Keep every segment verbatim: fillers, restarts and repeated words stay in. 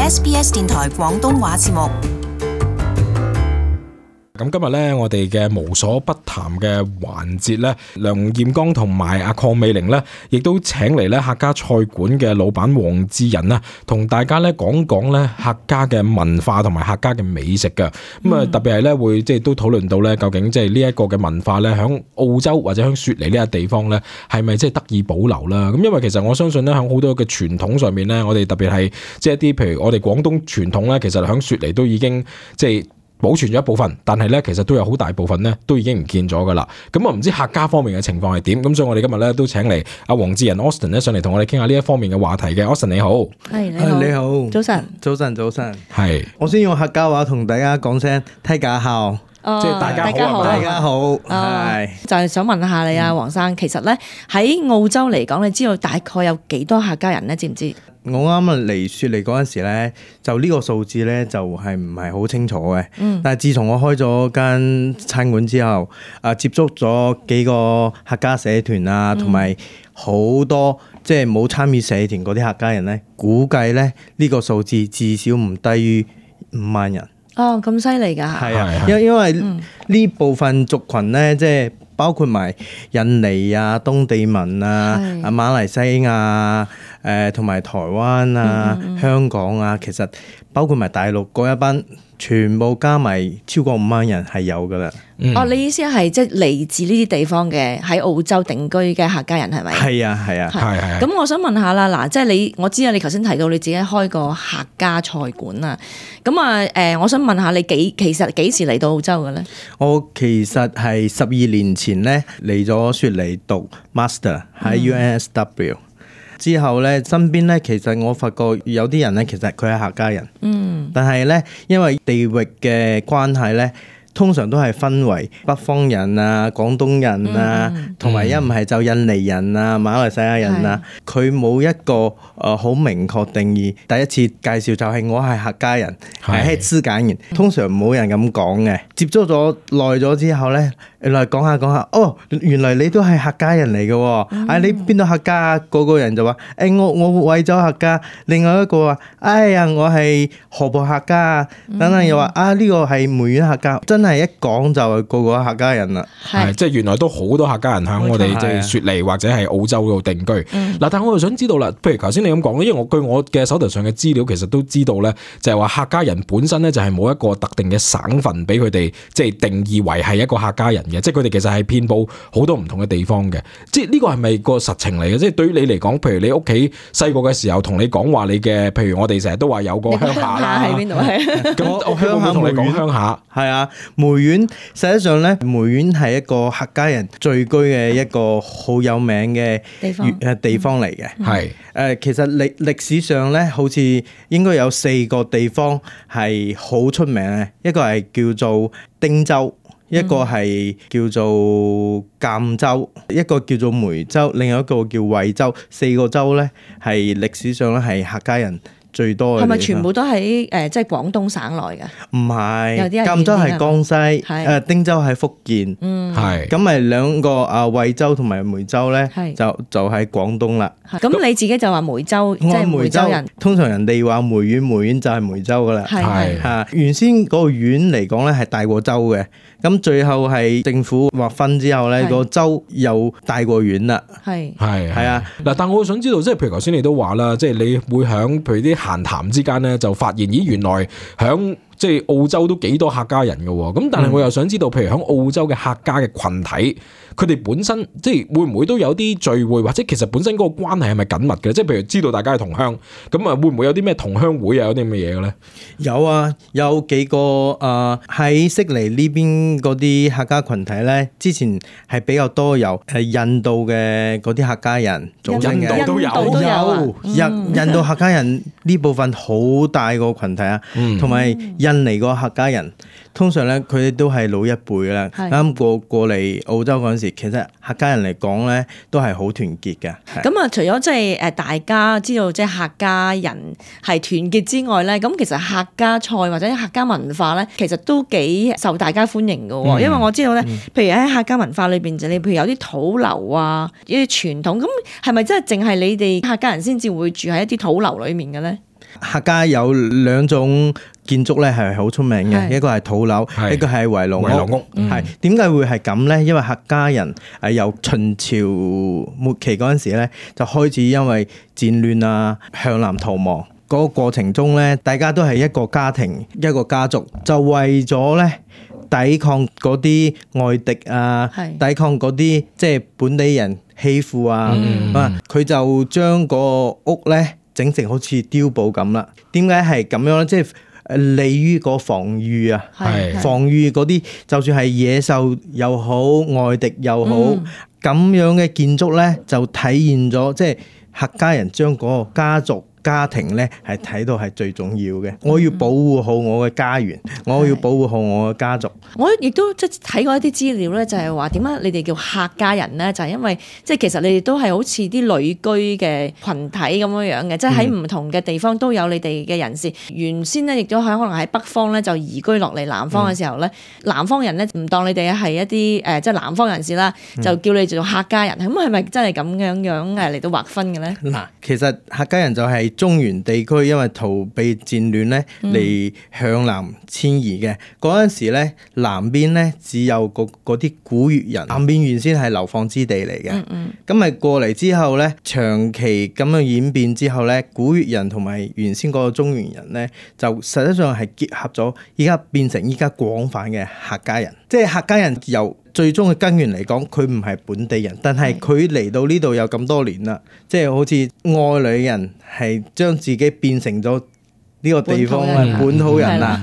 S B S 電台廣東話節目。咁今日咧，我哋嘅無所不談嘅環節咧，梁彥剛同埋阿鄺美玲咧，亦都請嚟咧客家菜館嘅老闆黃志仁啦，同大家咧講講咧客家嘅文化同埋客家嘅美食嘅。咁啊，特別係咧會即係都討論到咧，究竟即係呢一個嘅文化咧，響澳洲或者響雪梨呢個地方咧，係咪即係得以保留啦？咁因為其實我相信咧，響好多嘅傳統上面咧，我哋特別係即係一啲譬如我哋廣東傳統咧，其實響雪梨都已經即係保存咗一部分，但係咧其實都有好大部分咧都已經唔見咗噶啦。咁我唔知客家方面嘅情況係點，咁所以我哋今日咧都請嚟阿黃志仁 Austin 咧上嚟同我哋傾下呢一方面嘅話題嘅。Austin 你好。係你好，你好，早晨，早晨，早晨。係，我先用客家話同大家講聲睇家好，哦即係大家好大家好，大家好，哦係就係想問下你啊，黃生，其實咧喺澳洲嚟講，你知道大概有幾多客家人咧？知唔知？我啱啱嚟雪梨嗰陣時咧，就呢個數字咧就係唔係好清楚嘅。嗯，但係自從我開咗間餐館之後，啊接觸咗幾個客家社團啊，同埋好多即係冇參與社團嗰啲客家人咧，估計咧呢個數字至少唔低於五萬人。哦，咁犀利㗎。係啊，係因因為嗯呢部分族群咧，即係包括埋印尼啊、東地民啊、係啊馬來西亞誒同埋台灣啊、嗯嗯嗯香港啊，其實包括埋大陸嗰一班，全部加埋超過五萬人係有㗎啦。嗯哦，你意思係即係嚟自呢啲地方嘅喺澳洲定居嘅客家人係咪？係啊，係啊，係係。咁我想問下啦，嗱，即係你，我知啊，你頭先提到你自己開個客家菜館啊，咁啊，誒，我想問下你幾其實幾時嚟到澳洲嘅咧？我其實係十二年前咧嚟咗雪梨讀 master 喺 U N S W。之後咧，身邊咧其實我發覺有啲人咧，其實佢係客家人，嗯，但係咧因為地域嘅關係咧，通常都係分為北方人啊、廣東人啊，同埋一唔係就印尼人啊、馬來西亞人啊，佢冇一個誒好明確定義。第一次介紹就係我係客家人，係係資簡人，通常冇人咁講嘅。接觸咗耐咗之後咧，原來講下講下，哦，原來你都係客家人嚟嘅喎，嗯啊你邊度客家啊？個個人就話，誒我我惠州客家，另外一個話，哎呀我係河北客家啊，等等又話啊呢個係梅縣客家，真係一講就係個個客家人啦。係，即係原來都好多客家人喺我哋冇錯即係雪梨或者係澳洲度定居。嗱、嗯但係我又想知道啦，譬如頭先你咁講咧，因為我據我嘅手頭上嘅資料，其實都知道咧，就係話客家人本身咧就係冇一個特定嘅省份俾佢哋即係定義為係一個客家人嘅，即係佢哋其實係遍佈好多唔同嘅地方嘅。即係呢個係咪個實情嚟嘅？即係對於你嚟講，譬如你屋企細個嘅時候同你講話你嘅，譬如我哋成日都話有個鄉下啦，喺邊度係？咁我我鄉下同你講鄉下。係啊，梅縣實際上咧，梅縣係一個客家人聚居嘅一個好有名嘅地方誒地方嚟嘅。係誒，其實歷歷史上咧，好似應該有四個地方係好出名嘅，一個係叫做汀州，一個係叫做贛州，一個叫做梅州，另外一個叫惠州。四個州咧係歷史上咧係客家人最多嘅地方。係咪全部都喺誒即係廣東省內㗎？唔係，有啲係贛州係遠啲㗎江西，係誒汀州係福建。嗯，係咁咪兩個啊惠州同埋梅州咧係，就就喺廣東啦。咁你自己就話梅州，即我係梅係梅州州人，通常人哋話梅縣，梅縣就係梅州噶啦。係係嚇，原先嗰個縣嚟講咧係大過州嘅，咁最後係政府劃分之後咧，係個州又大過縣啦。係係係啊，嗱，但我想知道，即係譬如頭先你都話啦，即係你會響譬如啲閒談之間咧，就發現咦原來響即係澳洲都幾多客家人嘅喎，咁但係我又想知道，譬如響澳洲嘅客家嘅群體，佢哋本身即係會唔會都有啲聚會，或者其實本身嗰個關係係咪緊密嘅？即係譬如知道大家係同鄉，咁啊會唔會有啲咩同鄉會啊，有啲咁嘅嘢嘅咧？有啊，有幾個誒喺悉尼呢邊嗰啲客家群體咧，之前係比較多由誒印度嘅嗰啲客家人組成嘅。印度都有印度都有啊印嗯印度客家人呢部分好大個群體啊，嗯同埋印尼個客家人，通常咧佢哋都係老一輩㗎啦。係啱過過嚟澳洲嗰陣時，其實客家人嚟講咧都係好團結嘅。係咁啊，除咗即係誒大家知道即係客家人係團結之外咧，咁其實客家菜或者客家文化咧，其實都幾受大家歡迎嘅喎。嗯因為我知道咧，譬如喺客家文化裏邊就你譬如有啲土樓啊，一啲傳統，咁係咪真係淨係你哋客家人先至會住喺一啲土樓裡面嘅咧？客家有兩種建築咧係好出名嘅，一個係土樓，一個係圍爐屋。係點解會係咁咧？因為客家人誒由秦朝末期嗰陣時咧，就開始因為戰亂啊向南逃亡。嗰個過程中咧，大家都係一個家庭一個家族，就為咗咧抵抗嗰啲外敵啊，抵抗嗰啲即係本地人欺負啊，啊佢、嗯、就將個屋咧整成好似碉堡咁啦。點解係咁樣咧？即係誒利於個防禦啊，防禦嗰啲就算係野獸又好，外敵又好，咁、嗯、樣嘅建築咧就體現咗即係客家人將嗰個家族家庭咧係睇到係最重要嘅，我要保護好我嘅家園，我要保護好我嘅家族。我亦都即係睇過一啲資料咧，就係話點解你哋叫客家人咧？就係因為即係其實你哋都係好似啲旅居嘅群體咁樣樣嘅，即係喺唔同嘅地方都有你哋嘅人士。原先咧亦都喺可能喺北方咧就移居落嚟南方嘅時候咧，南方人咧唔當你哋係一啲誒即係南方人士啦，就叫你做客家人。咁係咪真係咁樣樣誒嚟到劃分嘅咧？嗱，其實客家人就係中原地區因為逃避戰亂咧嚟向南遷移嘅。嗰陣時咧，南邊咧只有嗰啲古越人，南邊原先係流放之地嚟嘅。咁咪、嗯、過嚟之後咧，長期咁樣演變之後咧，古越人同埋原先嗰個中原人咧，就實際上係結合咗，依家變成依家廣泛嘅客家人。即係客家人由最終嘅根源嚟講，佢唔係本地人，但係佢嚟到呢度有咁多年啦，即係好似外來人係將自己變成咗呢個地方嘅本土人啦。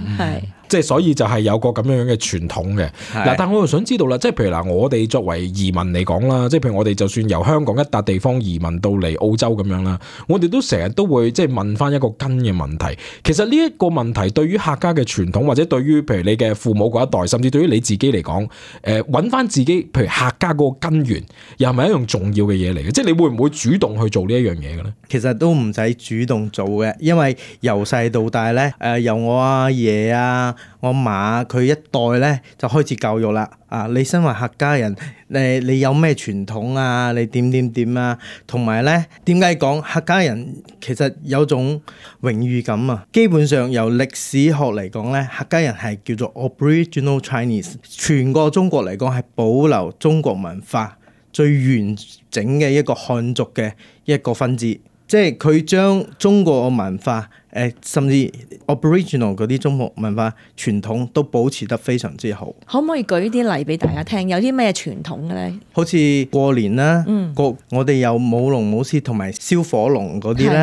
即係所以就係有個咁樣樣嘅傳統嘅嗱，但我又想知道啦，即係譬如嗱，我哋作為移民嚟講啦，即係譬如我哋就算由香港一笪地方移民到嚟澳洲咁樣啦，我哋都成日都會即係問翻一個根嘅問題。其實呢一個問題對於客家嘅傳統，或者對於譬如你嘅父母嗰一代，甚至對於你自己嚟講，誒揾翻自己譬如客家嗰個根源，又係咪一樣重要嘅嘢嚟嘅？即係你會唔會主動去做呢一樣嘢嘅咧？其實都唔使主動做嘅，因為由細到大咧，誒、呃、由我阿爺啊。我嫲佢一代咧就開始教育啦，啊！你身為客家人，誒你有咩傳統啊？你點點點啊？同埋咧，點解講客家人其實有種榮譽感啊？基本上由歷史學嚟講咧，客家人係叫做 Aboriginal Chinese， 全個中國嚟講係保留中國文化最完整嘅一個漢族嘅一個分支，即係佢將中國嘅文化。誒，甚至 Aboriginal 嗰啲中國文化傳統都保持得非常之好。可唔可以舉啲例俾大家聽？有啲咩傳統嘅咧？好似過年啦，嗯、過我哋有舞龍舞獅同埋燒火龍嗰啲咧，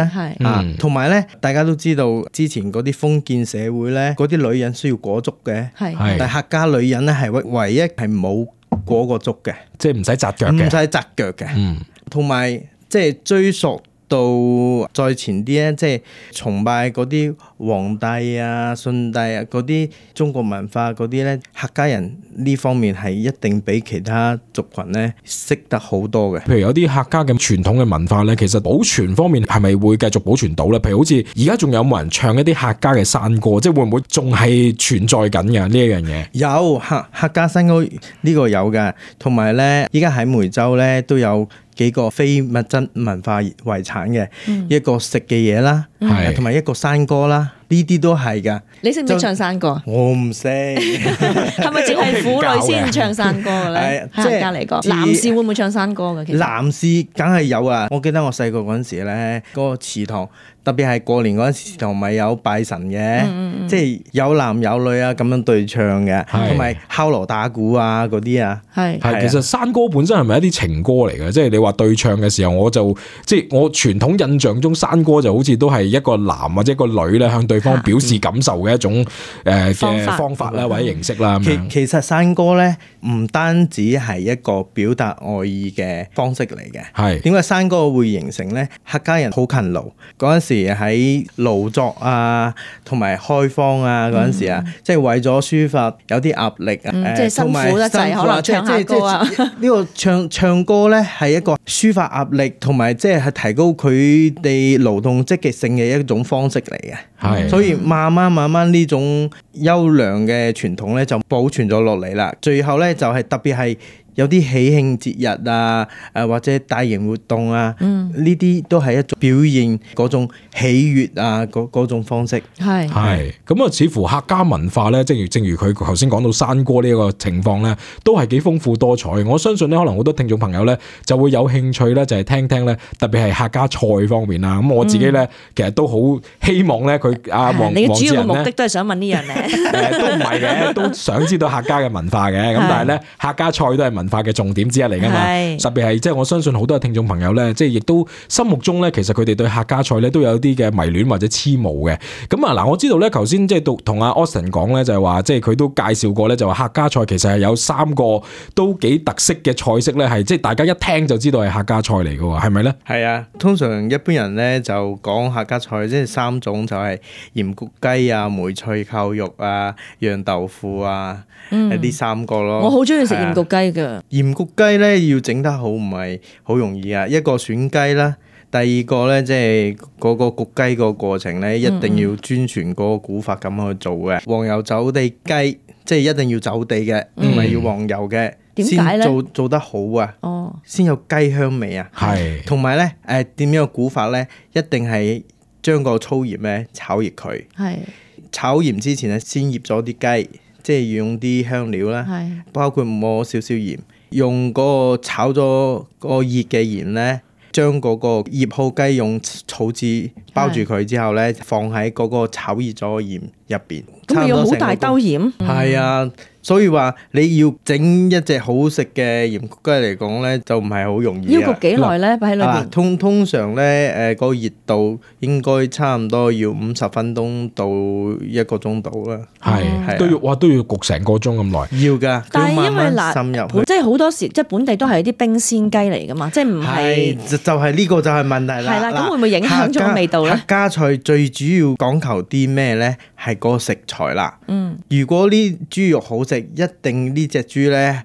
啊，同埋咧，大家都知道之前嗰啲封建社會咧，嗰啲女人需要裹足嘅，係係但係客家女人咧係唯唯一係冇裹個足嘅，即係唔使紮腳嘅，唔使紮腳嘅，嗯，同埋即係追溯到再前啲咧，即係崇拜嗰啲皇帝啊、舜帝啊嗰啲中國文化嗰啲咧，客家人呢方面係一定比其他族群咧識得好多嘅。譬如有啲客家嘅傳統嘅文化咧，其實保存方面係咪會繼續保存到咧？譬如好似而家仲有冇人唱一啲客家嘅山歌？即係會唔會仲係存在緊嘅呢一樣嘢？有客客家山歌呢個有㗎，同埋咧依家喺梅州咧都有幾個非物質文化遺產嘅、嗯、一個食嘅嘢啦，同埋、嗯、一個山歌啦，呢啲都係㗎。你識唔識唱山歌？我唔識。係咪淨係婦女先唱山歌嘅咧？客家嚟講，男士會唔會唱山歌嘅？其實男士梗係有啊！我記得我細個嗰陣時咧，嗰、嗰個祠堂。特別係過年嗰陣時，同埋有拜神嘅，嗯嗯、即係有男有女啊咁樣對唱嘅，同埋敲鑼打鼓啊嗰啲啊。係係，其實山歌本身係咪一啲情歌嚟嘅？即係你話對唱嘅時候，我就即係我傳統印象中，山歌就好似都係一個男或者一個女咧向對方表示感受嘅一種誒嘅方法啦，或者形式啦。其其實山歌咧唔單止係一個表達愛意嘅方式嚟嘅。係點解山歌會形成咧？客家人好勤勞嗰陣時。喺勞作啊，同埋開荒啊嗰陣時啊，嗯、即係為咗抒發有啲壓力啊，嗯呃、即係辛苦得滯，可能唱下歌啊。呢個唱唱歌咧係一個抒發壓力，同埋即係提高佢哋勞動積極性嘅一種方式嚟嘅。係，所以慢慢慢慢呢種優良嘅傳統咧就保存咗落嚟啦。最後咧就係特別係有啲喜慶節日啊，誒或者大型活動啊，呢啲、嗯、都係一種表現嗰種喜悅啊，嗰嗰種方式。係係咁啊，似乎客家文化咧，正如正如佢頭先講到山歌呢一個情況咧，都係幾豐富多彩。我相信咧，可能好多聽眾朋友咧就會有興趣咧，就係聽聽咧，特別係客家菜方面啦。咁我自己咧，嗯、其實都好希望咧，佢阿黃你嘅主要嘅黃目的都係想問呢樣嘢。誒都唔係嘅，都想知道客家嘅文化嘅。咁但係咧，客家菜都係文化嘅重點之一嚟㗎嘛。特別係即係我相信好多嘅聽眾朋友咧，即係亦都心目中咧，其實佢哋對客家菜咧都有啲嘅迷戀或者痴慕嘅。咁啊嗱，我知道咧，頭先即係同阿 Austin 講咧，就係話即係佢都介紹過咧，就話客家菜其實係有三個都幾特色嘅菜式咧，係即係大家一聽就知道係客家菜嚟㗎喎，係咪咧？係啊，通常一般人咧就講客家菜，即係三種就係鹽焗雞啊、梅菜扣肉啊、釀豆腐啊，呢、嗯、三個咯。我好中意食鹽焗雞㗎。鹽焗雞咧要整得好唔係好容易啊！一個選雞啦，第二個咧即係嗰個焗雞個過程咧，一定要遵循嗰個古法咁去做嘅。嗯、黃油走地雞，即係一定要走地嘅，唔係、嗯、要黃油嘅。點解咧？先做做得好啊！哦，先有雞香味啊！係，同埋咧誒點樣嘅古法咧，一定係將個粗鹽咧炒熱佢。係，炒鹽之前咧先醃咗啲雞，即係用啲香料啦，係，包括抹少少鹽。用嗰個炒咗個熱嘅鹽咧，將嗰個醃好雞用草紙包住佢之後咧，放喺嗰個炒熱咗嘅鹽入邊。咁咪要好大兜鹽？係啊。嗯，所以話你要整一隻好食嘅鹽焗雞嚟講咧，就唔係好容易。要焗幾耐咧？擺喺裏邊。通通常咧，誒個熱度應該差唔多要五十分鐘到一個鐘度啦。係係都要哇，都要焗成個鐘咁耐。要㗎。但係因為嗱，即係好多時即係本地都係啲冰鮮雞嚟㗎嘛，即係唔係就就係呢個就係問題啦。係啦，咁會唔會影響咗味道咧？客家菜最主要講求啲咩咧？係嗰個食材啦。嗯。如果呢豬肉好食，一定呢隻豬咧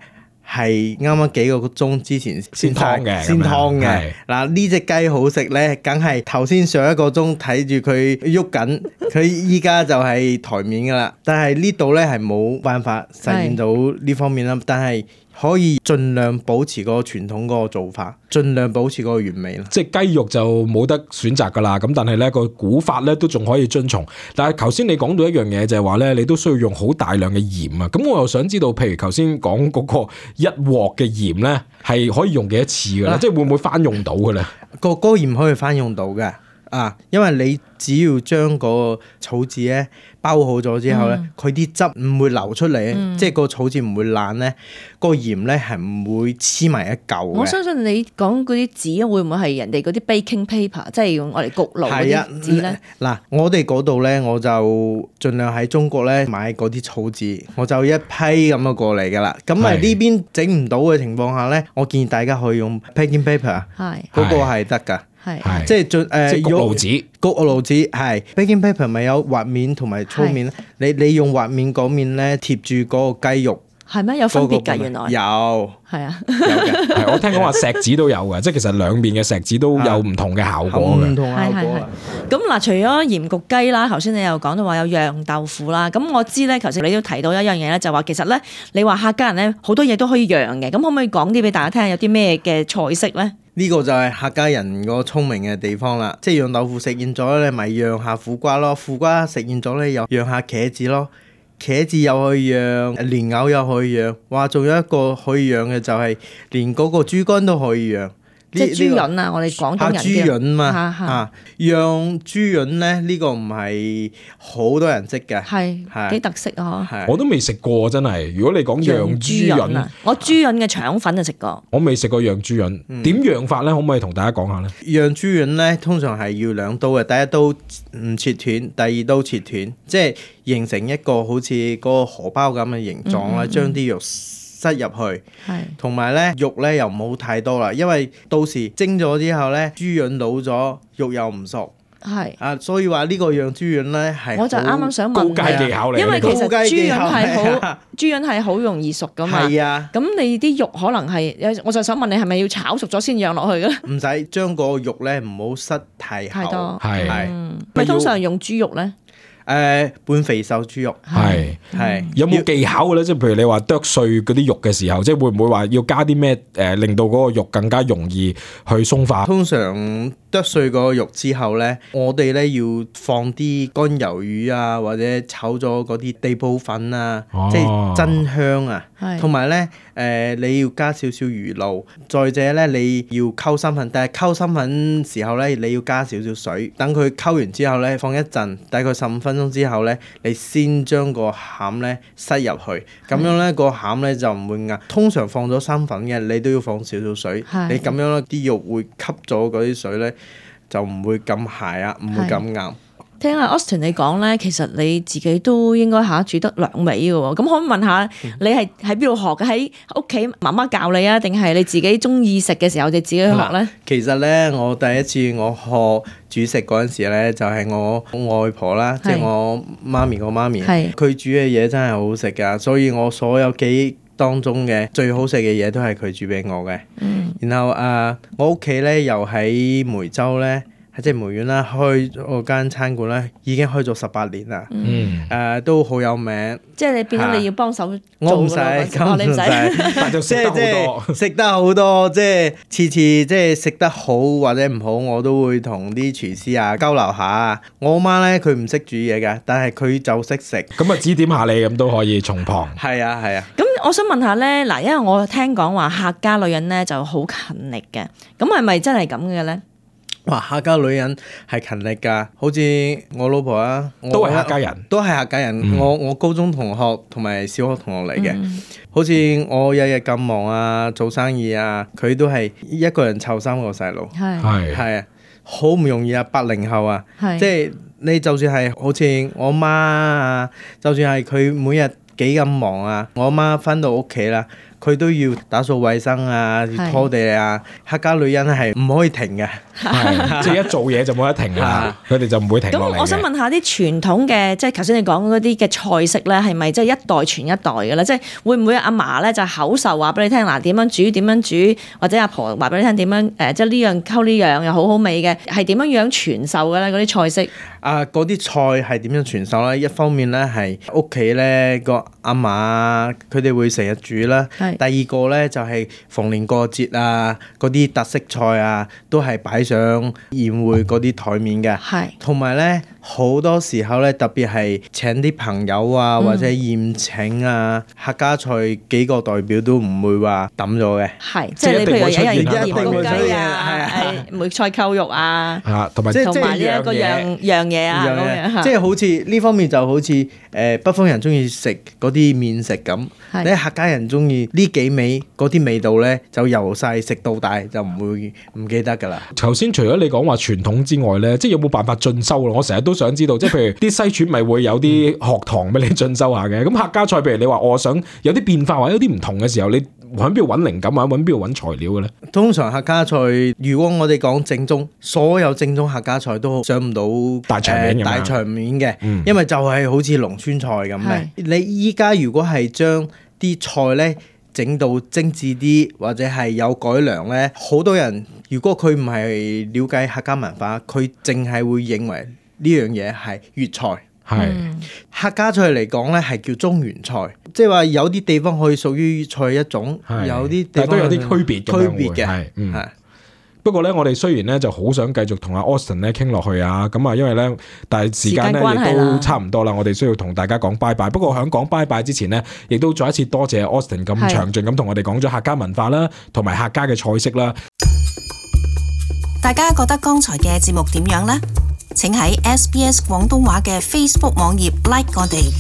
係啱啱幾個鐘之前先劏嘅，先劏嘅。嗱呢隻雞好食咧，梗係頭先上一個鐘睇住佢喐緊，佢依家就係台面噶啦。但係呢度咧係冇辦法實現到呢方面啦，但係可以盡量保持嗰個傳統嗰個做法，盡量保持嗰個原味啦。即係雞肉就冇得選擇噶啦，咁但係咧個古法咧都仲可以遵從。但係頭先你講到一樣嘢就係話咧，你都需要用好大量嘅鹽啊。咁我又想知道，譬如頭先講嗰個一鑊嘅鹽咧，係可以用幾多次噶咧？啊、即係會唔會翻用到嘅咧？個嗰個鹽可以翻用到嘅啊，因為你只要將個草紙咧包好咗之後咧，佢啲、嗯、汁唔會流出嚟，嗯、即係個草紙唔會爛咧，個鹽咧係唔會黐埋一嚿。我相信你講嗰啲紙會唔會係人哋嗰啲 baking paper，即係用我哋焗爐嗰啲紙咧？嗱、啊，我哋嗰度咧，我就盡量喺中國咧買嗰啲草紙，我就一批咁樣過嚟噶啦。咁啊呢邊整唔到嘅情況下咧，我建議大家可以用 baking paper， 係嗰個係得㗎。係，即係盡誒焗爐紙，焗爐紙係 baking paper 咪有滑面同埋粗面，你你用滑面嗰面咧貼住嗰個雞肉，係咩有分別㗎？原來有，係啊，有嘅。係我聽講話錫紙都有嘅，即係其實兩邊嘅錫紙都有唔同嘅效果嘅。唔同效果。咁嗱，除咗鹽焗雞啦，頭先你又講到話有釀豆腐啦。咁我知咧，頭先你都提到一樣嘢咧，就話其實咧，你話客家人咧好多嘢都可以釀嘅。咁可唔可以講啲俾大家聽下有啲咩嘅菜式咧？呢個就係客家人個聰明嘅地方啦，即係釀豆腐食厭咗咧，咪釀下苦瓜咯；苦瓜食厭咗咧，又釀下茄子咯；茄子又可以釀，蓮藕又可以釀。哇，仲有一個可以釀嘅就係連嗰個豬肝都可以釀。即係豬潤啊！我哋廣東人嘅豬潤嘛啊，釀豬潤咧呢個唔係好多人識嘅，係係幾特色啊！我都未食過真係。如果你講釀豬潤啊，我豬潤嘅腸粉就食過。我未食過釀豬潤，點釀法咧？可唔可以同大家講下咧？釀豬潤咧，通常係要兩刀嘅，第一刀唔切斷，第二刀切斷，即係形成一個好似嗰個荷包咁嘅形狀啦，將啲肉塞入去，同埋咧肉咧又唔好太多啦，因為到時蒸咗之後咧，豬潤老咗，肉又唔熟，係啊，所以話呢個釀豬潤咧係我就啱啱想問高階技巧嚟，因為其實豬潤係好豬潤係好容易熟噶嘛，係啊，咁你啲肉可能係，我就想問你係咪要炒熟咗先釀落去嘅咧？唔使將個肉咧唔好塞太厚，太多係，咪通常用豬肉咧？誒半肥瘦豬肉係係有冇技巧嘅咧？即係譬如你話剁碎嗰啲肉嘅時候，即係會唔會話要加啲咩誒，令到嗰個肉更加容易去鬆化？通常剁碎個肉之後咧，我哋咧要放啲乾魷魚啊，或者炒咗嗰啲地煲粉啊，哦、即係增香啊。係同埋咧誒，你要加少少魚露，再者咧你要溝生粉，但係溝生粉時候咧你要加少少水，等佢溝完之後咧放一陣，大概十五分鐘之後咧，你先將個餡咧塞入去，咁樣咧個餡咧就唔會硬。通常放咗生粉嘅，你都要放少少水，你咁樣咧啲肉會吸咗嗰啲水咧，就唔會咁鞋啊，唔會咁硬。聽阿 Austin 你講咧，其實你自己都應該嚇煮得兩味嘅喎。咁可唔可以問下你係喺邊度學嘅？喺屋企媽媽教你啊，定係你自己中意食嘅時候就自己去學咧？其實咧，我第一次我學煮食嗰陣時咧，就係我外婆啦，即係我媽咪個媽咪，佢煮嘅嘢真係好好食㗎，所以我所有記憶當中嘅最好食嘅嘢都係佢煮俾我嘅。嗯、然後啊、呃，我屋企咧又喺梅州咧。即係梅縣啦，開嗰間餐館咧，已經開咗十八年啦。嗯，誒、呃、都好有名。即係你變咗你要幫手做。我唔使，咁唔使，但就食得好多，食得好多，即係次次即係食得好或者唔好，我都會同啲廚師啊交流下。我媽咧佢唔識煮嘢㗎，但係佢就識食。咁啊指點下你咁都可以從旁。係啊係啊。咁我想問下咧，嗱，因為我聽講話客家女人咧就好勤力嘅，咁係咪真係咁嘅咧？哇！客家女人係勤力㗎，好似我老婆啊，都係客家人，都係客家人。嗯、我我高中同學同埋小學同學嚟嘅，嗯、好似我日日咁忙啊，做生意啊，佢都係一個人湊三個細路，係係啊，好唔容易啊！八零後啊，是即係你就算係好似我媽啊，就算係佢每日幾咁忙啊，我媽返到屋企啦。佢都要打掃衛生啊，拖地啊，客家女人係唔可以停嘅，即係一做嘢就冇得停啊！佢哋就唔會停落嚟嘅。咁我想問下啲傳統嘅，即係頭先你講嗰啲嘅菜式咧，係咪即係一代傳一代嘅咧？即係會唔會阿嫲咧就口授話俾你聽嗱，點樣煮點樣煮，或者阿婆話俾你聽點樣誒，即係呢樣溝呢樣又好好味嘅，係點樣樣傳授嘅咧？嗰啲菜式啊，嗰啲菜係點樣傳授咧？一方面咧係屋企咧個阿嫲佢哋會成日煮啦。第二個咧就係逢年過節啊，嗰啲特色菜啊，都係擺上宴會嗰啲台面嘅。係，同埋咧好多時候咧，特別係請啲朋友啊，或者宴請啊，客家菜幾個代表都唔會話抌咗嘅。係，即係你譬如有人鹽焗雞啊，係梅菜扣肉啊，啊，同埋同埋呢一個樣樣嘢啊，咁樣即係好似呢方面就好似誒北方人中意食嗰啲麵食咁，你客家人中意呢幾味嗰啲味道咧，就由細食到大，就唔會唔記得㗎啦。頭先除咗你講話傳統之外咧，即係有冇辦法進修咯？我成日都想知道，即係譬如啲西廚咪會有啲學堂俾你進修下嘅。咁客家菜，譬如你話我想有啲變化或者有啲唔同嘅時候，你喺邊度揾靈感啊？揾邊度揾材料嘅咧？通常客家菜，如果我哋講正宗，所有正宗客家菜都上唔到大場面、呃、大場面嘅，嗯、因為就係好似農村菜咁嘅。是你依家如果係將啲菜咧整到精緻啲，或者係有改良咧，好多人如果佢唔係了解客家文化，佢淨係會認為呢樣嘢係粵菜。係是客家菜嚟講咧，係叫中原菜，即係話有啲地方可以屬於粵菜一種，是有啲地方都有啲區別嘅。區別嘅係，嗯。不過咧，我哋雖然咧就好想繼續同阿 Austin 咧傾落去啊，咁啊，因為咧，但係時間咧亦都差唔多啦，我哋需要同大家講拜拜。不過喺講拜拜之前呢，亦都再一次多謝 Austin 咁詳盡咁同我哋講咗客家文化啦，同埋客家嘅菜式啦。大家覺得剛才嘅節目點樣呢？請喺 S B S 廣東話嘅 Facebook 網頁 like 我哋。